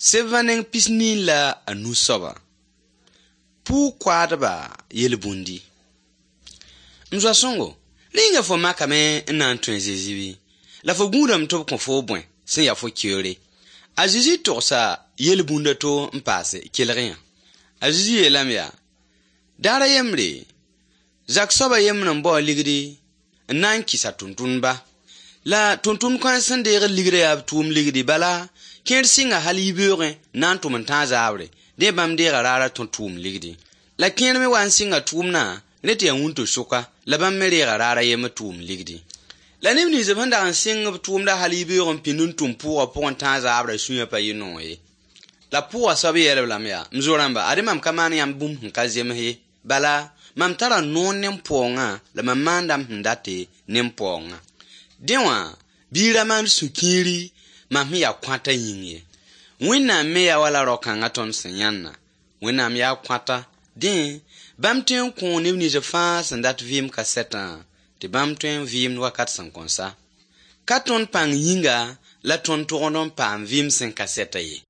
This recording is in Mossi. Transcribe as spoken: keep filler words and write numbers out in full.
Sebã neng pis-nii la a nu soaba. Pʋʋg-koaadba yel-bũndi. M zoa sõngo, rĩnga fo makame n na n tõe a Zezi bɩ? La fo gũudame tɩ b kõ fo bõe sẽn ya fo keoore? A Zezi togsa yel-bũnd a to n paase kelg-yã. A Zezi yeelame yaa: Daar a yembre, zak soab a yembr n bao ligdi n na n kɩs a tʋmtʋmdba. La tʋmtʋmd kãens sẽn deegd ligrã yaa b tʋʋm ligdi, bala kẽer sɩnga hal yibeoogẽ n na n tʋm n tãag zaabre, dẽ bãmb deega raar a tõ tʋʋm ligdi. La kẽer me wa n sɩnga tʋʋmdã rẽ tɩ yaa wũnto-sʋka, la bãmb me reega raar a yembr tʋʋm ligdi. La neb nins b sẽn dag n sɩng b tʋʋmda hal yibeoog n pĩnd n tʋm pʋʋgã pʋgẽ tãag zaabrã sũyã pa yɩ noog ye. La pʋʋgã soab yeelb lame yaa: m zo-rãmba, ad mam ka maan yãmb bũmb sẽn ka zems ye. Bala, mam tara noor ne m paoongã la mam maanda m sẽn date ne m paoongã. Dẽ wã, bɩ y ra maan sũ-kiiri mam sẽn yaa kõata yĩng ye. Wẽnnaam me yaa wala rao-kãngã tõnd sẽn yãnna. Wẽnnaam yaa kõata. Dẽ, bãmb tõe n kõo neb nins fãa sẽn dat vɩɩm kasetã tɩ bãmb tõe n vɩɩmd wakat sẽn kõn sa. Ka tõnd pãng yĩnga la tõnd togd n paam vɩɩm sẽn ka sɛta ye.